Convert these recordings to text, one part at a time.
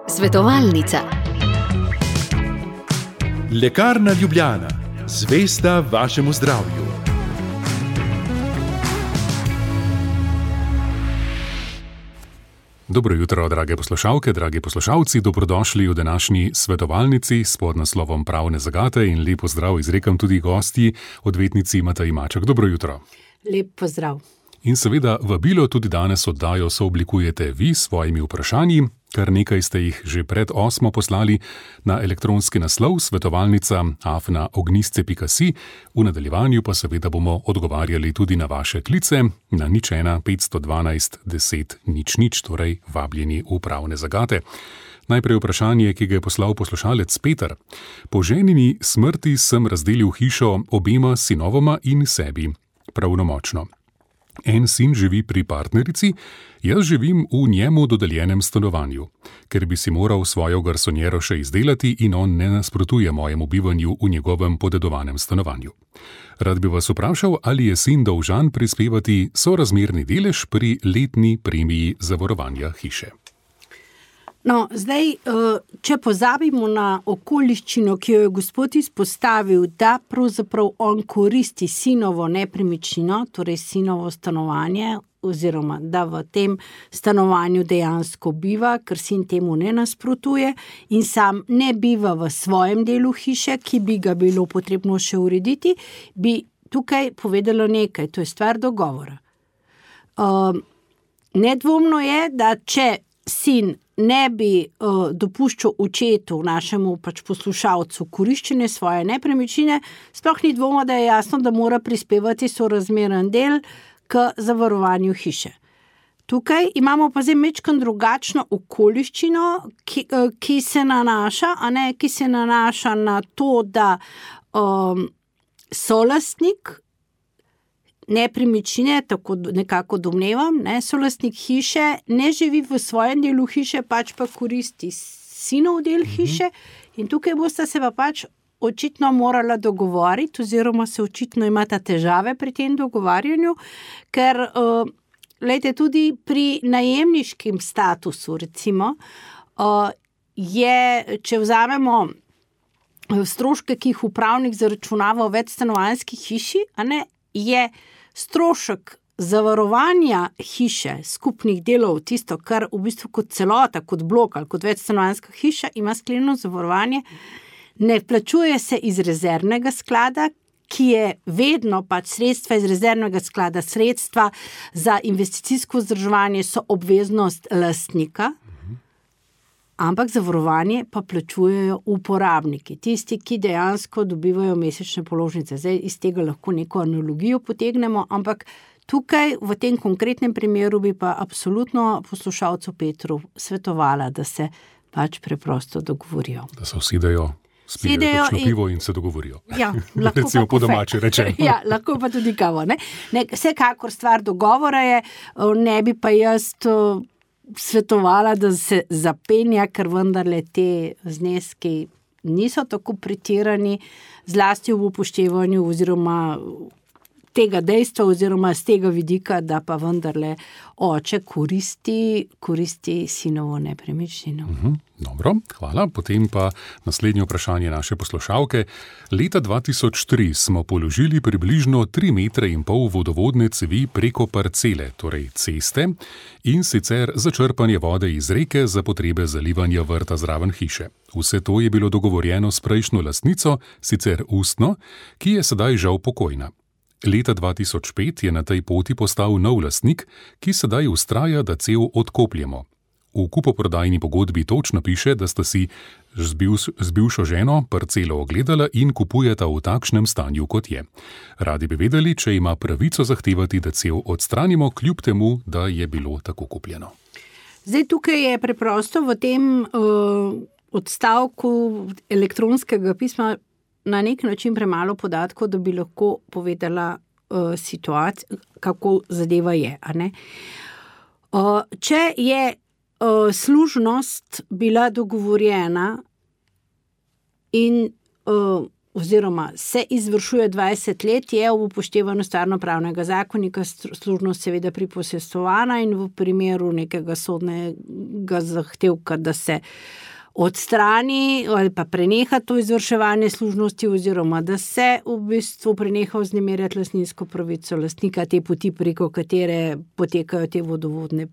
Svetovalnica. Lekarna Ljubljana, zvesta vašemu zdravju. Dobro jutro, drage poslušalke, dragi poslušalci, dobrodošli v današnji svetovalnici s podnaslovom Pravne zagate in lep pozdrav izrekam tudi gostji, odvetnici Mateji Maček. Dobro jutro. Lep pozdrav. In seveda vabilo tudi danes oddajo sooblikujete vi s svojimi vprašanji, kar nekaj ste jih že pred 8 poslali na elektronski naslov svetovalnica@ognisce.si. V nadaljevanju pa seveda bomo odgovarjali tudi na vaše klice na 01 512 10 00, torej vabljeni v Pravne zagate. Najprej vprašanje, ki ga je poslal poslušalec Peter. Po ženini smrti sem razdelil hišo obema sinovoma in sebi, pravnomočno. En sin živi pri partnerici, jaz živim v njemu dodeljenem stanovanju. Ker bi si moral svojo garsonjero še izdelati in on ne nasprotuje mojemu bivanju v njegovem podedovanem stanovanju. Rad bi vas vprašal, ali je sin dolžan prispevati sorazmerni delež pri letni premiji zavarovanja hiše. No, zdaj, če pozabimo na okoliščino, ki jo je gospod izpostavil, da pravzaprav on koristi sinovo nepremičnino, torej sinovo stanovanje, oziroma da v tem stanovanju dejansko biva, ker sin temu ne nasprotuje in sam ne biva v svojem delu hiše, ki bi ga bilo potrebno še urediti, bi tukaj povedalo nekaj, to je stvar dogovora. Nedvomno je, da če sin ne bi dopuščal očetu, našemu poslušalcu, koriščenje svoje nepremičnine, sploh ni dvoma, da je jasno, da mora prispevati sorazmeren del k zavarovanju hiše. Tukaj imamo pa zdaj majčkeno drugačno okoliščino, ki se nanaša na to, da solastnik nepremičnine, tako nekako domnevam, solastnik hiše ne živi v svojem delu hiše, pač pa koristi sinov del hiše in tukaj bosta se pa očitno morala dogovoriti oziroma se očitno imata težave pri tem dogovarjanju, ker tudi pri najemniškem statusu recimo je, če vzamemo stroške, ki jih upravnik zaračunava v večstanovanjski hiši, je strošek zavarovanja hiše, skupnih delov, tisto, kar v bistvu kot celota, kot blok ali kot večstanovanjska hiša ima sklenjeno zavarovanje, ne plačuje se iz rezervnega sklada, ki je vedno sredstva iz rezervnega sklada, sredstva za investicijsko vzdrževanje so obveznost lastnika, ampak zavarovanje pa plačujejo uporabniki, tisti, ki dejansko dobivajo mesečne položnice. Zdaj iz tega lahko neko analogijo potegnemo, ampak tukaj v tem konkretnem primeru bi pa absolutno poslušalcu Petru svetovala, da se preprosto dogovorijo. Da se usidejo, spijejo kakšno pivo in se dogovorijo. Ja, lahko recimo po domači rečemo. Ja, lahko pa tudi kavo. Vsekakor stvar dogovora je, ne bi pa jaz svetovala, da se zapenja, ker vendarle te zneski niso tako pretirani, zlasti v upoštevanju oziroma tega dejstva oziroma z tega vidika, da pa vendarle oče koristi sinovo nepremičnino. Dobro, hvala. Potem pa naslednje vprašanje naše poslušalke. Leta 2003 smo položili približno 3,5 metra vodovodne cevi preko parcele, torej ceste, in sicer za črpanje vode iz reke za potrebe zalivanja vrta zraven hiše. Vse to je bilo dogovorjeno s prejšnjo lastnico, sicer ustno, ki je sedaj žal pokojna. Leta 2005 je na tej poti postal nov lastnik, ki sedaj vztraja, da cev odkopljemo. V kupoprodajni pogodbi točno piše, da sta si z bivšo ženo parcelo ogledala in kupujeta v takšnem stanju, kot je. Radi bi vedeli, če ima pravico zahtevati, da cev odstranimo, kljub temu, da je bilo tako kupljeno. Zdaj tukaj je preprosto v tem odstavku elektronskega pisma na nek način premalo podatkov, da bi lahko povedala situacijo, kako zadeva je. Če je služnost bila dogovorjena in oziroma se izvršuje 20 let, je v upoštevanju stvarnopravnega zakonika služnost seveda priposestvovana in v primeru nekega sodnega zahtevka, da se odstrani ali pa preneha to izvrševanje služnosti oziroma da se v bistvu preneha vznemirjati lastninsko pravico lastnika te poti, preko katere potekajo te vodovodne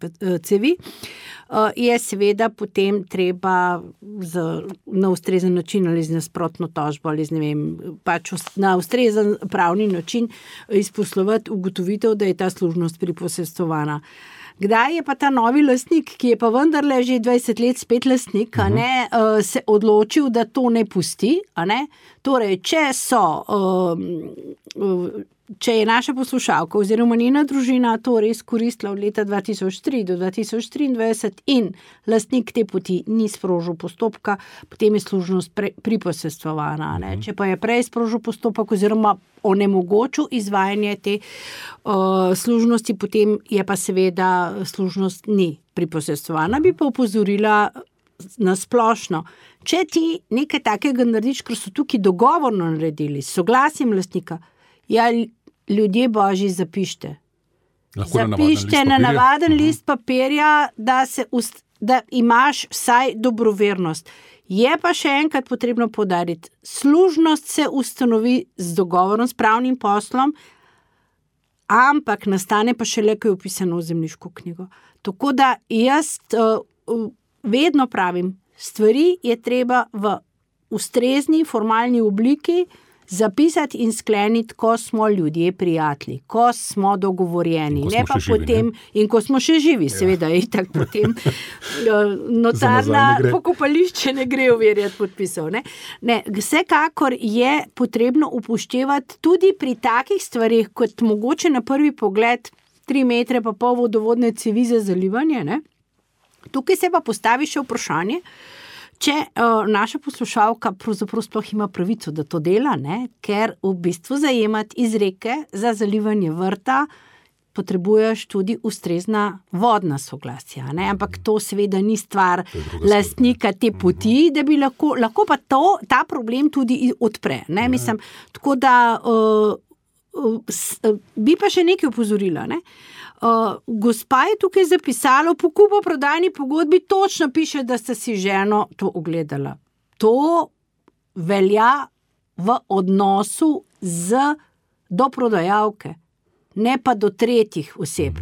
cevi, je seveda potem treba na ustrezen način ali z nasprotno tožbo ali pač na ustrezen pravni način izposlovati ugotovitev, da je ta služnost priposestvovana. Kdaj je pa ta novi lastnik, ki je pa vendarle že 20 let spet lastnik, se odločil, da to ne pusti? Torej, če je naša poslušalka oziroma njena družina to res koristila od leta 2003 do 2023 in lastnik te poti ni sprožil postopka, potem je služnost priposestvovana. Če pa je prej sprožil postopek oziroma onemogočil izvajanje te služnosti, potem je pa seveda služnost ni priposestvovana. Bi pa opozorila na splošno, če ti nekaj takega narediš, ker so tukaj dogovorno naredili, s soglasjem lastnika, ljudje božji, zapište. Zapište na navaden list papirja, da imaš vsaj dobrovernost. Je pa še enkrat potrebno poudariti, služnost se ustanovi z dogovorom, s pravnim poslom, ampak nastane pa šele, ko je vpisano v zemljiško knjigo. Tako da jaz vedno pravim, stvari je treba v ustrezni formalni obliki zapisati in skleniti, ko smo ljudje prijatelji, ko smo dogovorjeni, ne pa potem, in ko smo še živi, seveda je tak potem notarna pokopališče ne gre overjati podpisov. Ne, vsekakor je potrebno upoštevati tudi pri takih stvarih, kot mogoče na prvi pogled 3,5 metre vodovodne cevi za zalivanje. Tukaj se pa postavi še vprašanje, če naša poslušalka pravzaprav sploh ima pravico, da to dela, ker v bistvu zajemati izreke za zalivanje vrta potrebuješ tudi ustrezna vodna soglasja. Ampak to seveda ni stvar lastnika te poti, da bi lahko pa ta problem tudi odpre. Tako da bi pa še nekaj opozorila. Gospa je tukaj zapisala, v kupoprodajni pogodbi točno piše, da sta si ženo to ogledala. To velja v odnosu do prodajalke, ne pa do tretjih oseb.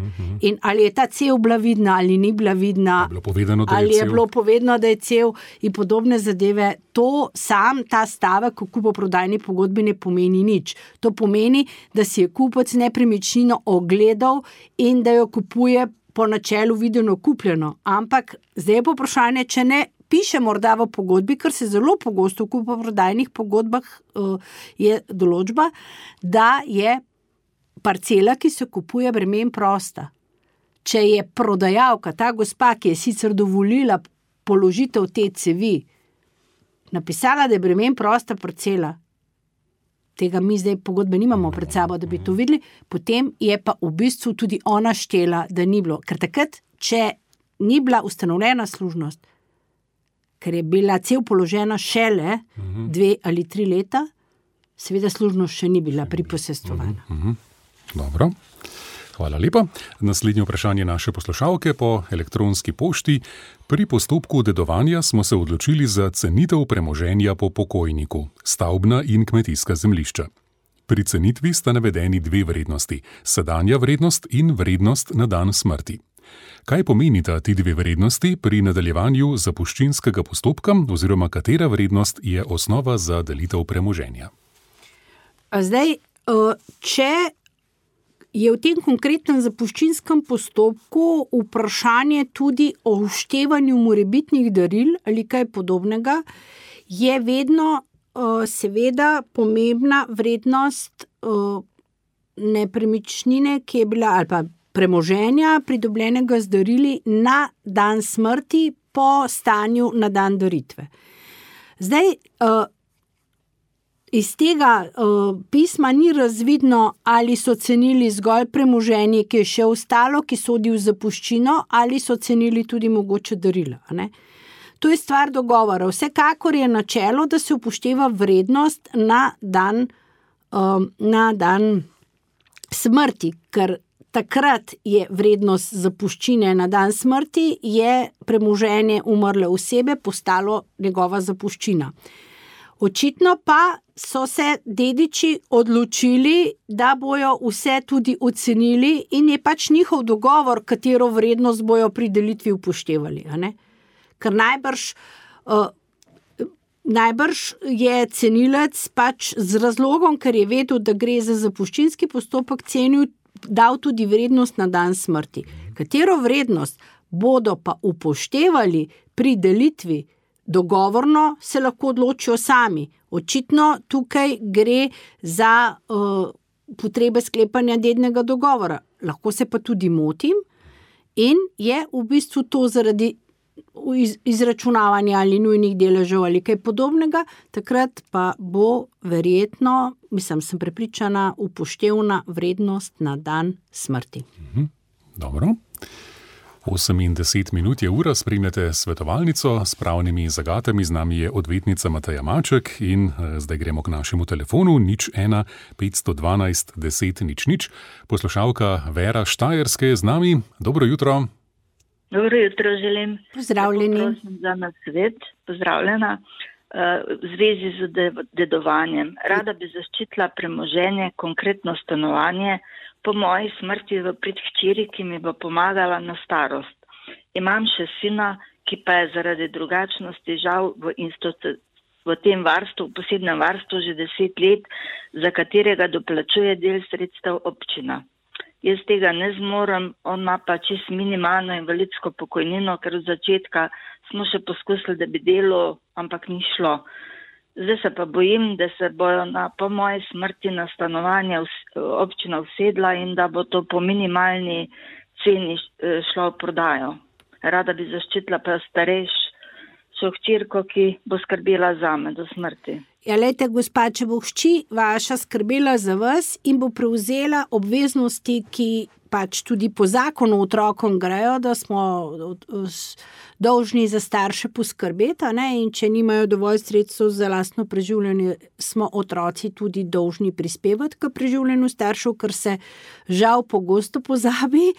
In ali je ta cev bila vidna, ali ni bila vidna, ali je bilo povedano, da je cev in podobne zadeve, ta stavek v kupoprodajni pogodbi ne pomeni nič. To pomeni, da si je kupec nepremičnino ogledal in da jo kupuje po načelu videno kupljeno. Ampak zdaj je vprašanje, če ne piše morda v pogodbi, ker se zelo pogosto v kupoprodajnih pogodbah je določba, da je parcela, ki se kupuje, bremen prosta. Če je prodajalka, ta gospa, ki je sicer dovolila položitev te cevi, napisala, da je bremen prosta parcela, tega mi zdaj pogodbe nimamo pred sabo, da bi to videli, potem je pa v bistvu tudi ona štela, da ni bilo. Ker takrat, če ni bila ustanovljena služnost, ker je bila cev položena šele 2 ali 3 leta, seveda služnost še ni bila priposestvovana. Dobro, hvala lepa. Naslednje vprašanje naše poslušalke po elektronski pošti. Pri postopku dedovanja smo se odločili za cenitev premoženja po pokojniku, stavbna in kmetijska zemljišča. Pri cenitvi sta navedeni 2 vrednosti, sedanja vrednost in vrednost na dan smrti. Kaj pomenita ti 2 vrednosti pri nadaljevanju zapuščinskega postopka oziroma katera vrednost je osnova za delitev premoženja? Zdaj, če je v tem konkretnem zapuščinskem postopku vprašanje tudi o vštevanju morebitnih daril ali kaj podobnega, je vedno seveda pomembna vrednost nepremičnine, ki je bila, ali pa premoženja, pridobljenega z darili na dan smrti po stanju na dan daritve. Zdaj, iz tega pisma ni razvidno, ali so cenili zgolj premoženje, ki je še ostalo, ki sodi v zapuščino, ali so cenili tudi mogoče darila. To je stvar dogovora. Vsekakor je načelo, da se upošteva vrednost na dan smrti, ker takrat je vrednost zapuščine na dan smrti, je premoženje umrle osebe postalo njegova zapuščina. Očitno pa so se dediči odločili, da bojo vse tudi ocenili in je pač njihov dogovor, katero vrednost bojo pri delitvi upoštevali. Ker najbrž je cenilec pač z razlogom, ker je vedel, da gre za zapuščinski postopek, dal tudi vrednost na dan smrti. Katero vrednost bodo pa upoštevali pri delitvi dogovorno, se lahko odločijo sami. Očitno tukaj gre za potrebe sklepanja dednega dogovora. Lahko se pa tudi motim in je v bistvu to zaradi izračunavanja ali nujnih deležev ali kaj podobnega, takrat pa bo verjetno, sem prepričana, upoštevna vrednost na dan smrti. Dobro. 8 in 10 minut je ura, spremljate svetovalnico s pravnimi zagatami, z nami je odvetnica Mateja Maček in zdaj gremo k našemu telefonu 01 512 10 00. Poslušalka Vera Štajerske je z nami. Dobro jutro. Dobro jutro želim. Pozdravljeni. Prosim za nasvet. Pozdravljena. V zvezi z dedovanjem. Rada bi zaščitila premoženje, konkretno stanovanje, po moji smrti v prid hčeri, ki mi bo pomagala na starost. Imam še sina, ki pa je zaradi drugačnosti žal v tem varstvu, v posebnem varstvu že 10 let, za katerega doplačuje del sredstev občina. Jaz tega ne zmorem, on ima pa čisto minimalno invalidsko pokojnino, ker od začetka smo še poskusili, da bi delal, ampak ni šlo. Zdaj se pa bojim, da se bojo po moji smrti na stanovanje občina usedla in da bo to po minimalni ceni šlo v prodajo. Rada bi zaščitila pa starejšo hčerko, ki bo skrbela zame do smrti. Ja, lejte, gospa, če bo hči vaša skrbela za vas in bo prevzela obveznosti, ki pač tudi po zakonu otrokom grejo, da smo dolžni za starše poskrbeti, in če nimajo dovolj sredstev za lastno preživljanje, smo otroci tudi dolžni prispevati k preživljanju staršev, ker se žal pogosto pozabi,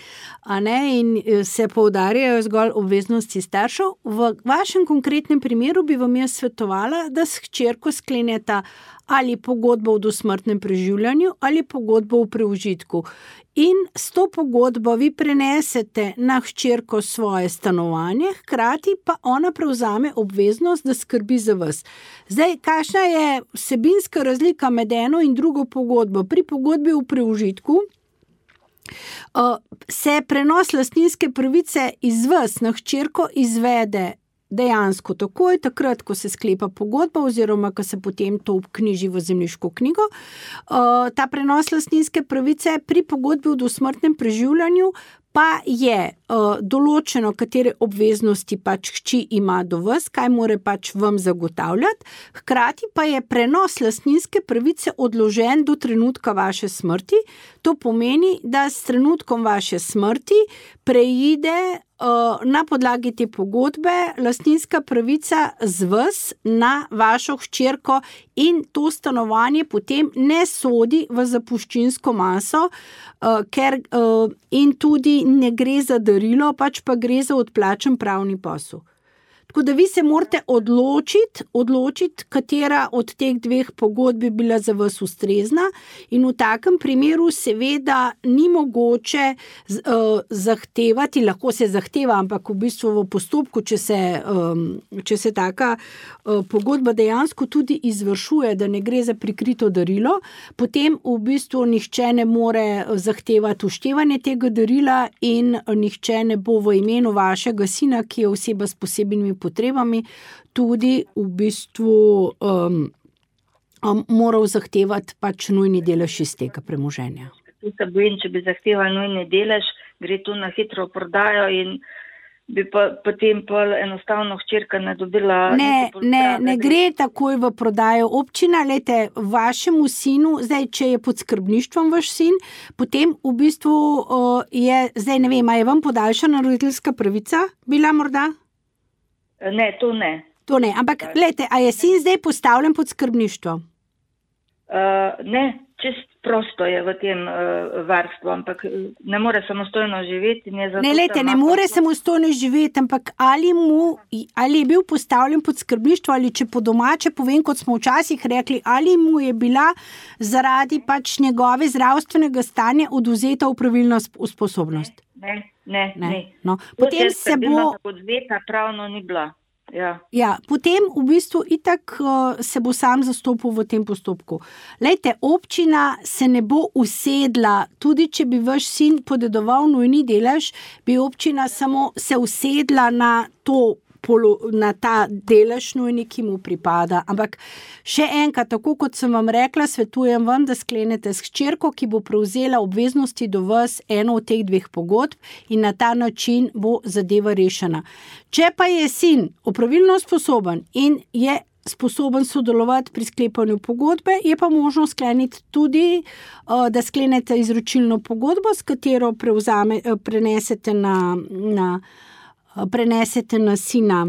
in se poudarjajo zgolj obveznosti staršev. V vašem konkretnem primeru bi vam jaz svetovala, da s hčerko skleneta ali pogodbo o dosmrtnem preživljanju ali pogodbo o preužitku. In s to pogodbo vi prenesete na hčerko svoje stanovanje, hkrati pa ona prevzame obveznost, da skrbi za vas. Zdaj, kakšna je vsebinska razlika med eno in drugo pogodbo? Pri pogodbi o preužitku se prenos lastninske pravice iz vas na hčerko izvede dejansko takoj, takrat, ko se sklepa pogodba oziroma, ko se potem to vknjiži v zemljiško knjigo. Ta prenos lastninske pravice pri pogodbi o dosmrtnem preživljanju pa je določeno, katere obveznosti pač hči ima do vas, kaj more pač vam zagotavljati, hkrati pa je prenos lastninske pravice odložen do trenutka vaše smrti. To pomeni, da s trenutkom vaše smrti preide na podlagi te pogodbe lastninska pravica z vas na vašo hčerko in to stanovanje potem ne sodi v zapuščinsko maso, ker in tudi ne gre za darilo, pač pa gre za odplačen pravni posel. Tako da vi se morate odločiti, katera od teh dveh pogodb bi bila za vas ustrezna in v takem primeru seveda ni mogoče zahtevati, lahko se zahteva, ampak v bistvu v postopku, če se taka pogodba dejansko tudi izvršuje, da ne gre za prikrito darilo, potem v bistvu nihče ne more zahtevati uštevanje tega darila in nihče ne bo v imenu vašega sina, ki je oseba s posebnimi potrebami, tudi v bistvu moral zahtevati pač nujni delež iz tega premoženja. Tu se bojim, če bi zahteval nujni delež, gre tu na hitro prodajo in bi pa potem enostavno hčerka ne dobila... Ne gre takoj v prodajo. Občina, vašemu sinu, zdaj, če je pod skrbništvom vaš sin, potem v bistvu je, zdaj ne vem, a je vam podaljšana roditeljska pravica bila morda? Ne, to ne. To ne, ampak glejte, a je sin zdaj postavljen pod skrbništvo? Ne, čist prosto je v tem varstvu, ampak ne more samostojno živeti. Ne, lejte, ne more samostojno živeti, ampak ali je bil postavljen pod skrbništvo, ali če po domače povem, kot smo včasih rekli, ali mu je bila zaradi pač njegove zdravstvenega stanja odvzeta opravilna sposobnost. Ne. No, potem se bo... Odvzeta pravno ni bila. Ja, potem v bistvu itak se bo sam zastopil v tem postopku. Lejte, občina se ne bo usedla, tudi če bi vaš sin podedoval nujni delež, bi občina samo se usedla na ta delež nujni, ki mu pripada. Ampak še enkrat, tako kot sem vam rekla, svetujem vam, da sklenete s hčerko, ki bo prevzela obveznosti do vas eno od teh dveh pogodb in na ta način bo zadeva rešena. Če pa je sin opravilno sposoben in je sposoben sodelovati pri sklepanju pogodbe, je pa možno skleniti tudi, da sklenete izročilno pogodbo, s katero prenesete na sina,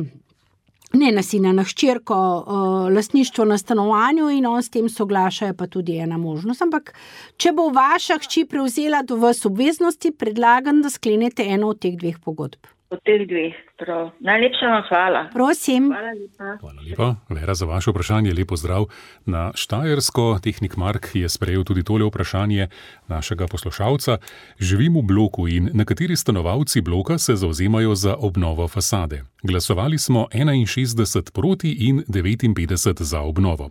na hčerko lastništvo na stanovanju in on s tem soglaša, je pa tudi ena možnost. Ampak, če bo vaša hči prevzela do vas obveznosti, predlagam, da sklenete eno od teh dveh pogodb. Od teh dveh, prav. Najlepša vam hvala. Prosim. Hvala lepa. Vera, za vaše vprašanje lepo zdrav. Na Štajersko tehnik Mark je sprejel tudi tole vprašanje našega poslušalca. Živim v bloku in nekateri stanovalci bloka se zavzemajo za obnovo fasade. Glasovali smo 61 proti in 59 za obnovo.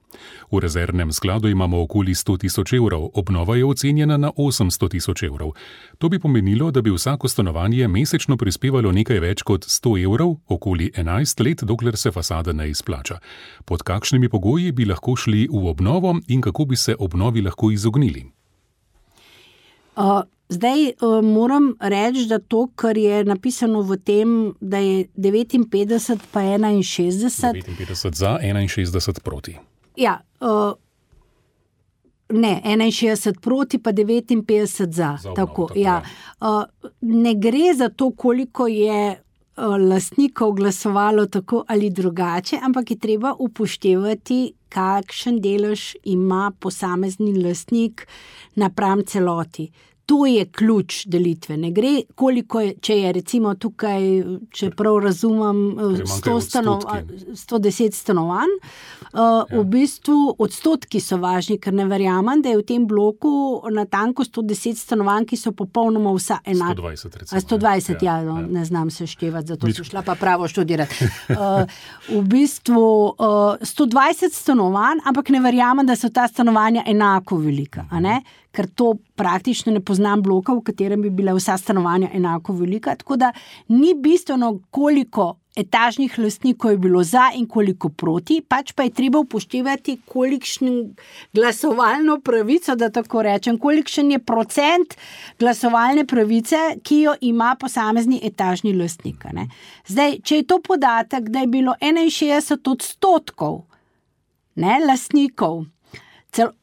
V rezervnem skladu imamo okoli 100 000 evrov, obnova je ocenjena na 800 000 evrov. To bi pomenilo, da bi vsako stanovanje mesečno prispevalo nekaj več kot 100 evrov, okoli 11 let, dokler se fasada ne izplača. Pod kakšnimi pogoji bi lahko šli v obnovo in kako bi se obnovi lahko izognili? Zdaj moram reči, da to, kar je napisano v tem, da je 59 pa 61... 59 za, 61 proti. Ja, ne, 61 proti pa 59 za. Tako, ja. Ne gre za to, koliko je lastnikov glasovalo tako ali drugače, ampak je treba upoštevati, kakšen delež ima posamezni lastnik napram celoti. To je ključ delitve. Ne gre, koliko je, če je recimo tukaj, če prav razumem, 110 stanovanj, v bistvu odstotki so važni, ker ne verjamem, da je v tem bloku natanko 110 stanovanj, ki so popolnoma vsa enaka. 120 recimo. 120, ja. Ne znam se števati, zato sem šla pa pravo študirati. V bistvu 120 stanovanj, ampak ne verjamem, da so ta stanovanja enako velika, a ne? Ker to praktično ne poznam bloka, v katerem bi bila vsa stanovanja enako velika, tako da ni bistveno, koliko etažnih lastnikov je bilo za in koliko proti, pač pa je treba upoštevati, kolikšen glasovalno pravico, da tako rečem, kolikšen je procent glasovalne pravice, ki jo ima posamezni etažni lastnik. Ne? Zdaj, če je to podatek, da je bilo 61% lastnikov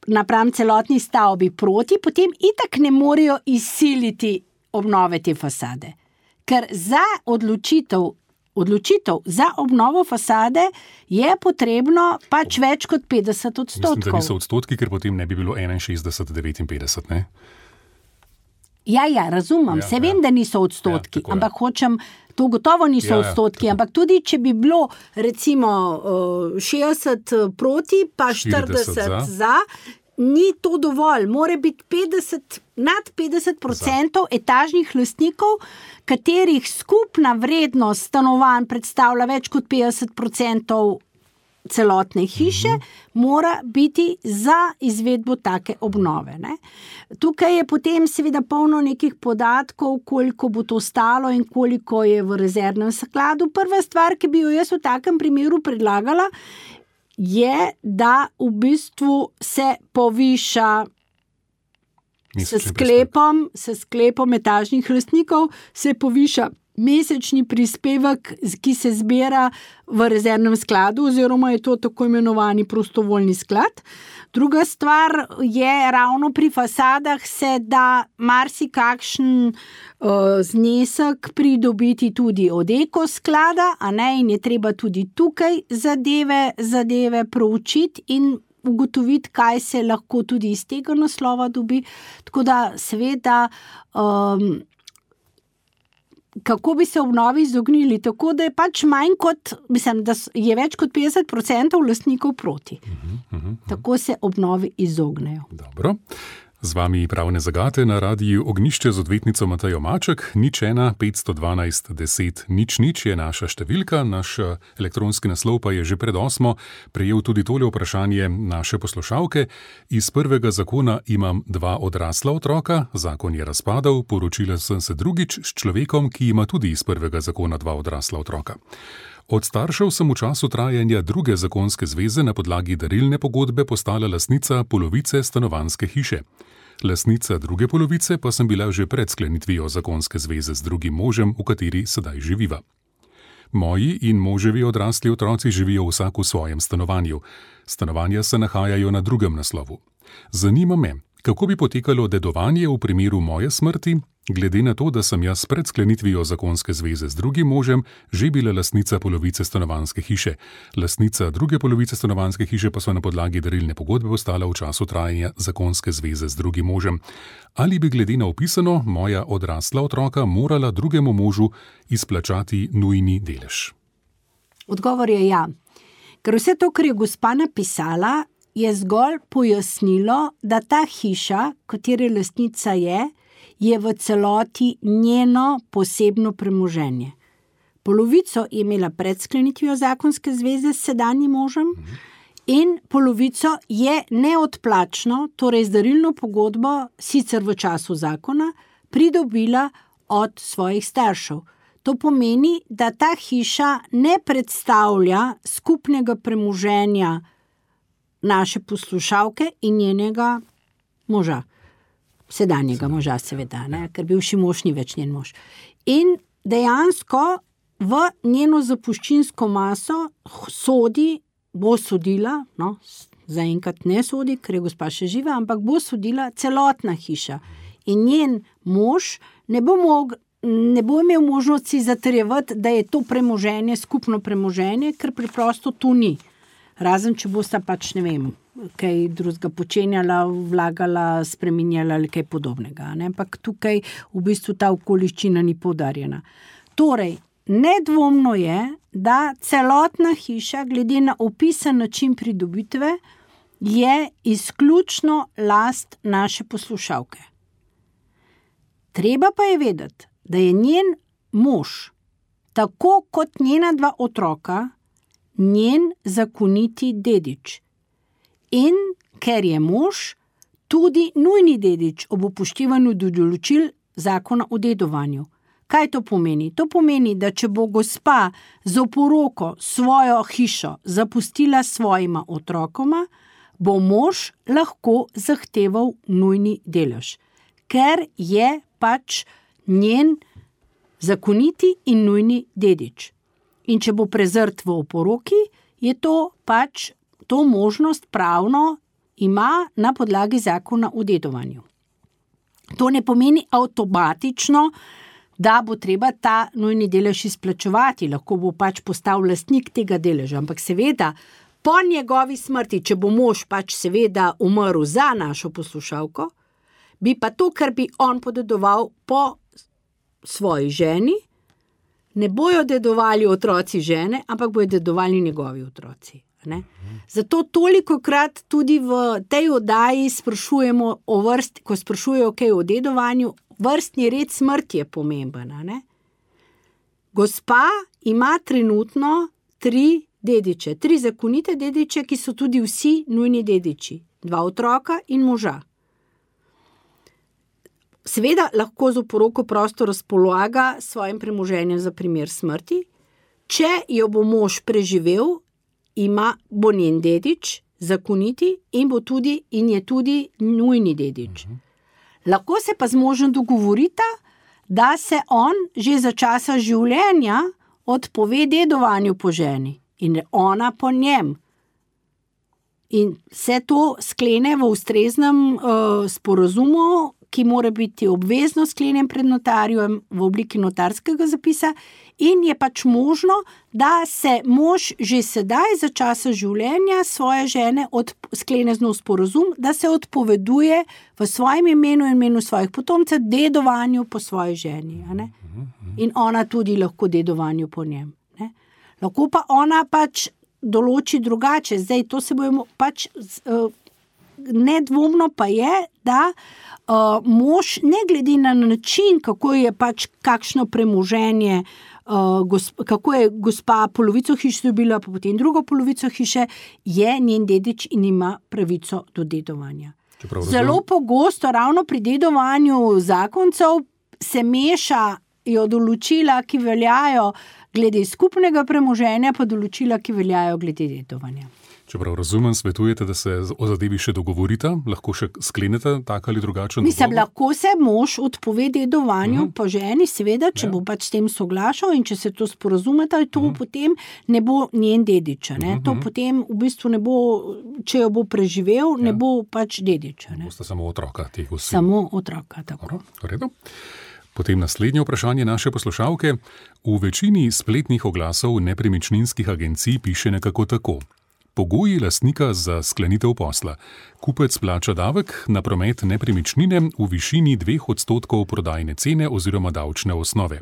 napram celotni stavbi proti, potem itak ne morejo izsiliti obnove te fasade. Ker za odločitev za obnovo fasade je potrebno pač več kot 50%. Mislim, da niso odstotki, ker potem ne bi bilo 61-59, ne? Ja, razumem. Se vem, da niso odstotki, ampak hočem, to gotovo niso odstotki, ampak tudi, če bi bilo recimo 60 proti, pa 40 za, ni to dovolj. More biti nad 50% etažnih lastnikov, katerih skupna vrednost stanovanj predstavlja več kot 50% celotne hiše, mora biti za izvedbo take obnove. Ne? Tukaj je potem seveda polno nekih podatkov, koliko bo to stalo in koliko je v rezervnem skladu. Prva stvar, ki bi jo jaz v takem primeru predlagala, je, da v bistvu se poviša s sklepom etažnih lastnikov, se poviša mesečni prispevek, ki se zbira v rezervnem skladu, oziroma je to tako imenovani prostovoljni sklad. Druga stvar je ravno pri fasadah se da marsikakšen znesek pridobiti tudi od ekosklada, a ne, in je treba tudi tukaj zadeve proučiti in ugotoviti, kaj se lahko tudi iz tega naslova dobi. Tako da seveda kako bi se obnovi izognili, tako da je pač manj kot, mislim, da je več kot 50% lastnikov proti. Tako se obnovi izognejo. Dobro. Z vami Pravne zagate na radiju Ognjišče z odvetnico Matejo Maček. 01 512 10 00 je naša številka, naš elektronski naslov pa je že pred 8. prejel tudi tole vprašanje naše poslušalke. Iz prvega zakona imam 2 odrasla otroka, zakon je razpadal, poročila sem se drugič s človekom, ki ima tudi iz prvega zakona 2 odrasla otroka. Od staršev sem v času trajanja druge zakonske zveze na podlagi darilne pogodbe postala lastnica polovice stanovanjske hiše. Lastnica druge polovice pa sem bila že pred sklenitvijo zakonske zveze z drugim možem, v kateri sedaj živiva. Moji in moževi odrasli otroci živijo vsak v svojem stanovanju. Stanovanja se nahajajo na drugem naslovu. Zanima me, kako bi potekalo dedovanje v primeru moje smrti, glede na to, da sem jaz pred sklenitvijo zakonske zveze z drugim možem že bila lastnica polovice stanovanjske hiše. Lastnica druge polovice stanovanjske hiše pa so na podlagi darilne pogodbe postala v času trajanja zakonske zveze z drugim možem. Ali bi glede na opisano moja odrasla otroka morala drugemu možu izplačati nujni delež? Odgovor je ja. Ker vse to, kar je gospa napisala, je zgolj pojasnilo, da ta hiša, katere lastnica je v celoti njeno posebno premoženje. Polovico je imela pred sklenitvijo zakonske zveze s sedanjim možem in polovico je neodplačno, torej z darilno pogodbo, sicer v času zakona, pridobila od svojih staršev. To pomeni, da ta hiša ne predstavlja skupnega premoženja naše poslušalke in njenega moža. Sedanjega moža, seveda, ne? Ker bivši mož ni več njen mož. In dejansko v njeno zapuščinsko maso bo sodila, no, zaenkrat ne sodi, ker je gospa še živa, ampak bo sodila celotna hiša. In njen mož ne bo imel možnosti zatrjevati, da je to premoženje, skupno premoženje, ker preprosto tu ni. Razen, če bosta pač, ne vem, kaj drugega počenjala, vlagala, spreminjala ali kaj podobnega. Ne? Ampak tukaj v bistvu ta okoliščina ni poudarjena. Torej, nedvomno je, da celotna hiša, glede na opisan način pridobitve, je izključno last naše poslušalke. Treba pa je vedeti, da je njen mož, tako kot njena 2 otroka, njen zakoniti dedič. In ker je mož tudi nujni dedič ob upoštevanju določil zakona o dedovanju. Kaj to pomeni? To pomeni, da če bo gospa z oporoko svojo hišo zapustila svojima otrokoma, bo mož lahko zahteval nujni delež, ker je pač njen zakoniti in nujni dedič. In če bo prezrt v oporoki, je to pač to možnost pravno ima na podlagi zakona o dedovanju. To ne pomeni avtomatično, da bo treba ta nujni delež izplačevati, lahko bo pač postal lastnik tega deleža, ampak seveda po njegovi smrti, če bo mož pač seveda umrl za našo poslušalko, bi pa to, kar bi on podedoval po svoji ženi, ne bojo dedovali otroci žene, ampak bojo dedovali njegovi otroci. Ne? Zato tolikokrat tudi v tej oddaji sprašujemo o vrsti, ko sprašujejo kaj o dedovanju, vrstni red smrti je pomemben. Ne? Gospa ima trenutno 3 dediče, 3 zakonite dediče, ki so tudi vsi nujni dediči, 2 otroka in moža. Seveda lahko z oporoko prosto razpolaga svojim premoženjem za primer smrti. Če jo bo mož preživel, bo njen dedič zakoniti in je tudi nujni dedič. Lahko se pa z možem dogovorita, da se on že za časa življenja odpove dedovanju po ženi in ona po njem. In vse to sklene v ustreznem sporazumu, ki mora biti obvezno sklenjen pred notarjem v obliki notarskega zapisa in je pač možno, da se mož že sedaj za časa življenja svoje žene sklene z njo sporazum, da se odpoveduje v svojem imenu in imenu svojih potomcev dedovanju po svoji ženi. A ne? In ona tudi lahko dedovanju po njem. Ne? Lahko pa ona pač določi drugače. Zdaj, to se bomo pač nedvomno pa je, da mož, ne glede na način, kako je pač kakšno premoženje, kako je gospa polovico hiše dobila, pa potem drugo polovico hiše, je njen dedič in ima pravico do dedovanja. Zelo pogosto, ravno pri dedovanju zakoncev, se mešajo določila, ki veljajo glede skupnega premoženja, pa določila, ki veljajo glede dedovanja. Čeprav razumem, svetujete, da se o zadevi še dogovorita, lahko še sklenete tak ali drugačen dogovor? Mislim, lahko se mož odpove dedovanju po ženi, seveda, če bo pač s tem soglašal in če se to sporazumeta, to potem ne bo njen dedič. To potem v bistvu ne bo, če jo bo preživel, ne bo pač dedič. Boste samo otroka teh vsi. Samo otroka, tako. V redu. Potem naslednje vprašanje naše poslušalke. V večini spletnih oglasov nepremičninskih agencij piše nekako tako. Pogoji lastnika za sklenitev posla. Kupec plača davek na promet nepremičnine v višini 2% prodajne cene oziroma davčne osnove.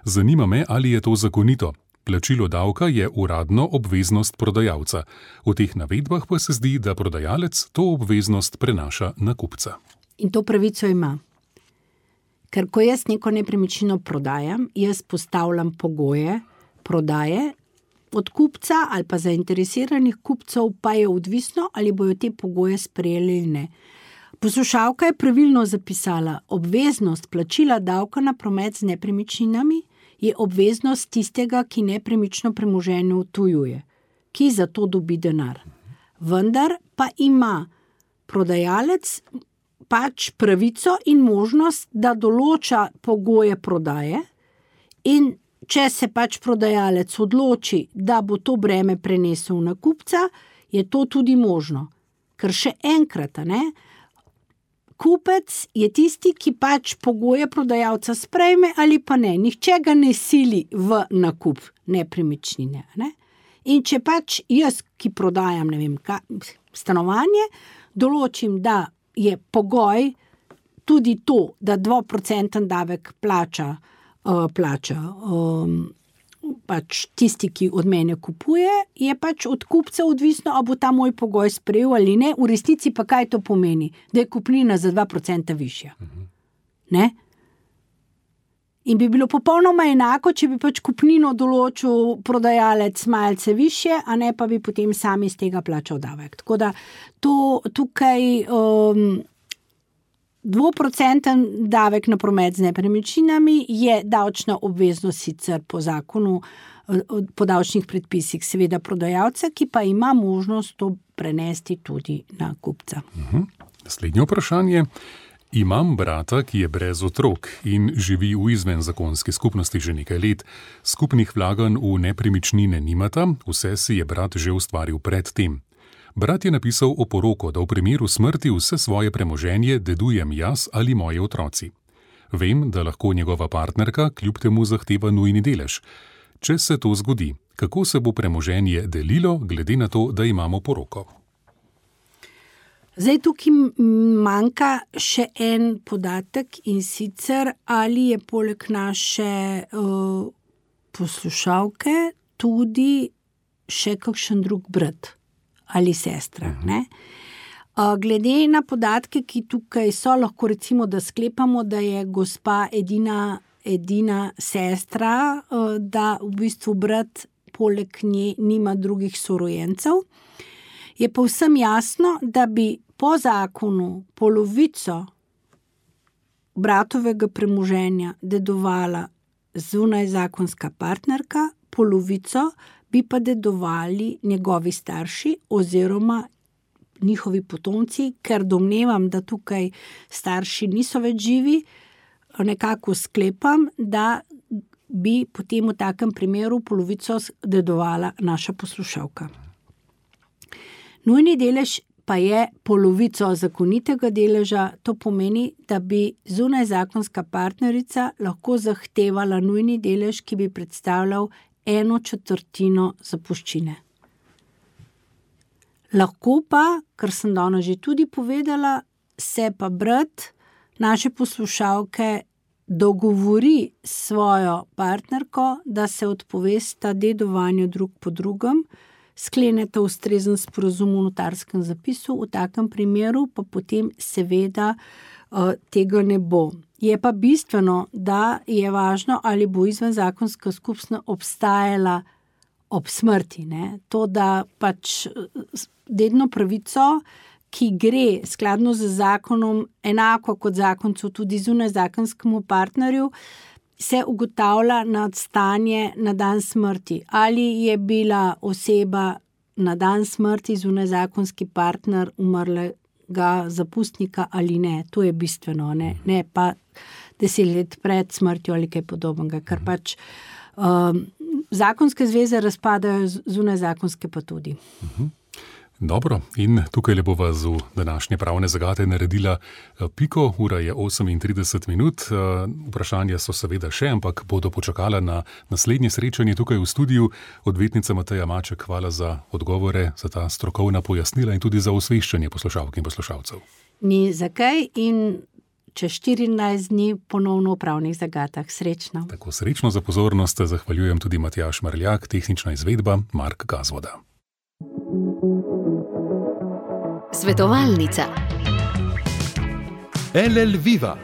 Zanima me, ali je to zakonito. Plačilo davka je uradno obveznost prodajalca. V teh navedbah pa se zdi, da prodajalec to obveznost prenaša na kupca. In to pravico ima. Ker ko jaz neko nepremičnino prodajam, jaz postavljam pogoje prodaje, od kupca ali pa zainteresiranih kupcev pa je odvisno, ali bojo te pogoje sprejeli ali ne. Poslušalka je pravilno zapisala, obveznost plačila davka na promet z nepremičninami je obveznost tistega, ki nepremično premoženje odtujuje, ki za to dobi denar. Vendar pa ima prodajalec pač pravico in možnost, da določa pogoje prodaje in če se pač prodajalec odloči, da bo to breme prenesel na kupca, je to tudi možno. Ker še enkrat, kupec je tisti, ki pač pogoje prodajalca sprejme ali pa ne. Nihče ga ne sili v nakup nepremičnine. Ne? In če pač jaz, ki prodajam stanovanje, določim, da je pogoj tudi to, da 2% davek plača pač tisti, ki od mene kupuje, je pač od kupca odvisno, ali bo ta moj pogoj sprejel ali ne. V resnici pa kaj to pomeni? Da je kupnina za 2% višja. Ne? In bi bilo popolnoma enako, če bi pač kupnino določil prodajalec malce višje, a ne pa bi potem sami iz tega plačal davek. Tako da tukaj 2% davek na promet z nepremičninami je davčna obveznost sicer po zakonu, po davčnih predpisih seveda prodajalca, ki pa ima možnost to prenesti tudi na kupca. Naslednje vprašanje. Imam brata, ki je brez otrok in živi v izvenzakonski skupnosti že nekaj let. Skupnih vlaganj v nepremičnine nimata, vse si je brat že ustvaril pred tem. Brat je napisal oporoko, da v primeru smrti vse svoje premoženje dedujem jaz ali moji otroci. Vem, da lahko njegova partnerka kljub temu zahteva nujni delež. Če se to zgodi, kako se bo premoženje delilo, glede na to, da imamo poroko? Zdaj tukaj manjka še en podatek in sicer, ali je poleg naše poslušalke tudi še kakšen drug brat ali sestra. Ne? Glede na podatke, ki tukaj so, lahko recimo, da sklepamo, da je gospa edina sestra, da v bistvu brat poleg nje nima drugih sorojencev. Je povsem jasno, da bi po zakonu polovico bratovega premoženja dedovala zunajzakonska partnerka, polovico bi pa dedovali njegovi starši oziroma njihovi potomci, ker domnevam, da tukaj starši niso več živi, nekako sklepam, da bi potem v takem primeru polovico dedovala naša poslušalka. Nujni delež pa je polovico zakonitega deleža, to pomeni, da bi zunajzakonska partnerica lahko zahtevala nujni delež, ki bi predstavljal 1/4 zapuščine. Lahko pa, kar sem danes že tudi povedala, se pa brat naše poslušalke dogovori s svojo partnerko, da se odpovesta dedovanju drug po drugem, skleneta ustrezen sporazum v notarskem zapisu, v takem primeru pa potem seveda tega ne bo. Je pa bistveno, da je važno, ali bo izvenzakonska skupnost obstajala ob smrti. Ne? To, da pač dedno pravico, ki gre skladno z zakonom, enako kot zakoncu tudi zunajzakonskemu partnerju, se ugotavlja na stanje na dan smrti. Ali je bila oseba na dan smrti zunajzakonski partner umrlega zapustnika ali ne. To je bistveno, ne pa 10 let pred smrtjo ali kaj podobnega, ker pač zakonske zveze razpadajo, zunajzakonske pa tudi. Dobro, in tukaj le bova z današnje pravne zagate naredila piko, ura je 38 minut, vprašanja so seveda še, ampak bodo počakala na naslednje srečanje tukaj v studiu. Odvetnica Mateja Maček, hvala za odgovore, za ta strokovna pojasnila in tudi za osveščanje poslušalk in poslušalcev. Ni zakaj in čez 14 dni ponovno v pravnih zagatah. Srečno. Tako srečno za pozornost, zahvaljujem tudi Matjaž Marljak, tehnična izvedba Mark Gazvoda. Svetovalnica. LL Viva,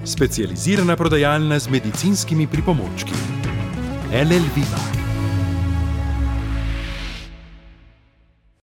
specializirana prodajalna z medicinskimi pripomočki. LL Viva.